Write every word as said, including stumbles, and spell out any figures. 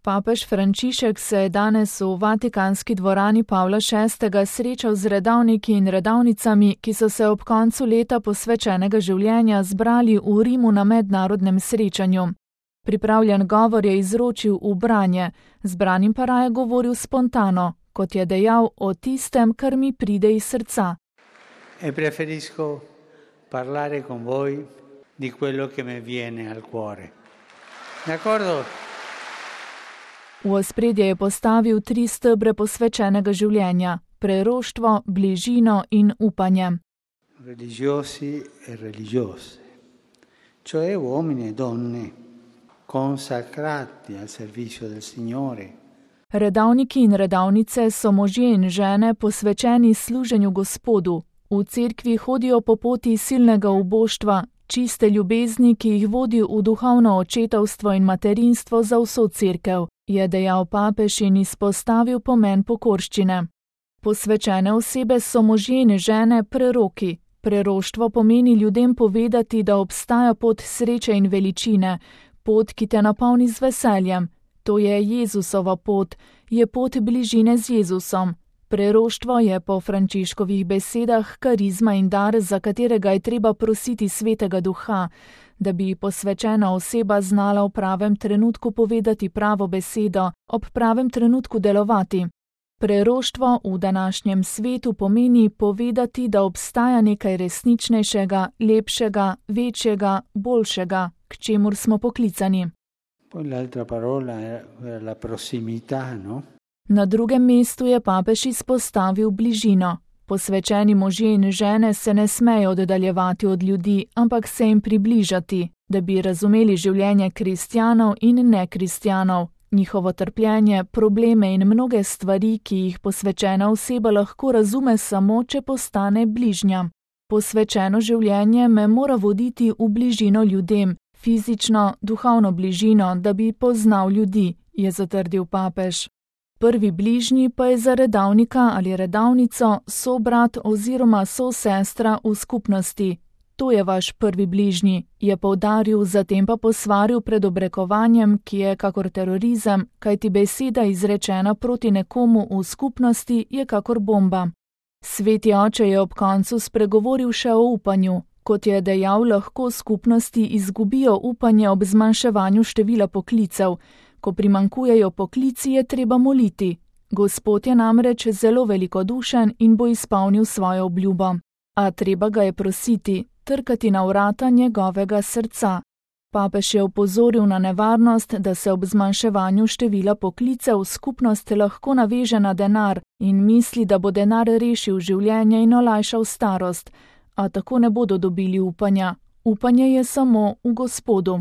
Papež Frančišek se je danes v Vatikanski dvorani Pavla šestega srečal z redavniki in redavnicami, ki so se ob koncu leta posvečenega življenja zbrali v Rimu na mednarodnem srečanju. Pripravljen govor je izročil v branje, zbranim pa raje govoril spontano, kot je dejal o tistem, kar mi pride iz srca. E preferisco parlare con voi di quello che mi viene al cuore. D'accordo? V ospredje je postavil tri stebre posvečenega življenja: preroštvo, bližino in upanje. Religiosi e religiose, cioè uomini e donne consacrati al servizio del Signore. Redavniki in redavnice so možje in žene posvečeni služenju Gospodu. V cerkvi hodijo po poti silnega uboštva, čiste ljubezni, ki jih vodi v duhovno očetovstvo in materinstvo za vso cerkev, je dejal papež in izpostavil pomen pokorščine. Posvečene osebe so možje in žene preroki. Preroštvo pomeni ljudem povedati, da obstaja pot sreče in veličine, pot, ki te napolni z veseljem. To je Jezusova pot, je pot bližine z Jezusom. Preroštvo je po Frančiškovih besedah karizma in dar, za katerega je treba prositi Svetega Duha, da bi posvečena oseba znala v pravem trenutku povedati pravo besedo, ob pravem trenutku delovati. Preroštvo v današnjem svetu pomeni povedati, da obstaja nekaj resničnejšega, lepšega, večjega, boljšega, k čemur smo poklicani. Poi l'altra parola è la prossimità, no? Na drugem mestu je papež izpostavil bližino. Posvečeni možje in žene se ne smejo oddaljevati od ljudi, ampak se jim približati, da bi razumeli življenje kristjanov in nekristjanov, njihovo trpljenje, probleme in mnoge stvari, ki jih posvečena oseba lahko razume samo, če postane bližnja. Posvečeno življenje me mora voditi v bližino ljudem, fizično, duhovno bližino, da bi poznal ljudi, je zatrdil papež. Prvi bližnji pa je za redavnika ali redavnico sobrat oziroma sosestra v skupnosti. To je vaš prvi bližnji, je poudaril, zatem pa posvaril pred obrekovanjem, ki je kakor terorizem, kajti beseda izrečena proti nekomu v skupnosti je kakor bomba. Sveti oče je ob koncu spregovoril še o upanju. Kot je dejal, lahko skupnosti izgubijo upanje ob zmanjševanju števila poklicev. Ko primanjkujejo poklici, je treba moliti. Gospod je namreč zelo velikodušen in bo izpolnil svojo obljubo. A treba ga je prositi, trkati na vrata njegovega srca. Papež je opozoril na nevarnost, da se ob zmanjševanju števila poklicev skupnost lahko naveže na denar in misli, da bo denar rešil življenje in olajšal starost, a tako ne bodo dobili upanja. Upanje je samo v Gospodu.